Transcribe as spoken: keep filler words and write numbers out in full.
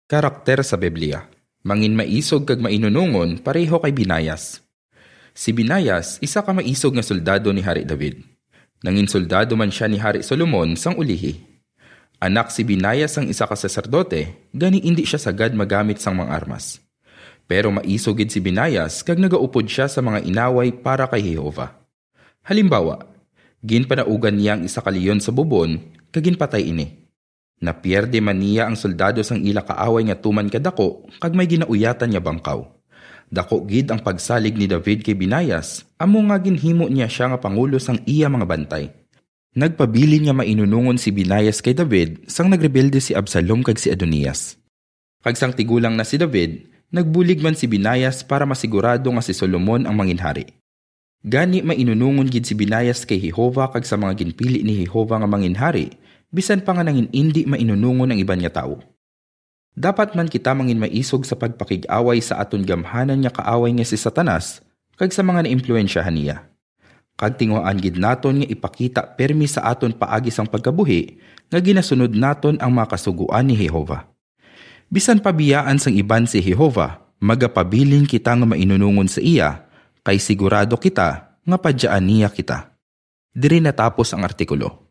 Karakter sa Biblia. Mangin maisog kag mainunungon pareho kay Binayas. Si Binayas isa ka maisog nga soldado ni Hari David. Nangin soldado man sia ni Hari Solomon sang ulihi. Anak si Binayas sang isa ka saserdote, gani indi sia sagad magamit sang mga armas. Pero maisog gid si Binayas kag nagaupod sia sa mga inaway para kay Jehovah. Halimbawa, ginpanaugan niya ang isa ka leon sa bubon kag ginpatay ini. Napierde man niya ang soldado sang ila kaaway nga tuman kadako kag may ginauyatan nga bangkaw. Dako gid ang pagsalig ni David kay Binayas, amo nga ginhimo niya sia nga pangulo sang iya mga bantay. Nagpabilin nga mainunungon si Binayas kay David sang nagrebelde si Absalom kag si Adonias. Kag sang tigulang na si David, nagbulig man si Binayas para masigurado nga si Solomon ang manginhari. Gani mainunungon gid si Binayas kay Jehovah kag sa mga ginpili ni Jehovah nga manginhari, bisan pa nga nangin indi mainunungon ang iban nga tawo. Dapat man kita mangin maisog sa pagpakig-away sa aton gamhanan nga kaaway nga si Satanas kag sa mga naimpluwensyahan niya. Kag tinguhaan gid naton nga ipakita pirmi sa aton paagi sang pagkabuhi nga ginasunod naton ang mga kasugoan ni Jehovah. Bisan pa biyaan sang iban si Jehovah, magapabilin kita nga mainunungon sa iya, kay sigurado kita nga padyaan niya kita. Diri natapos ang artikulo.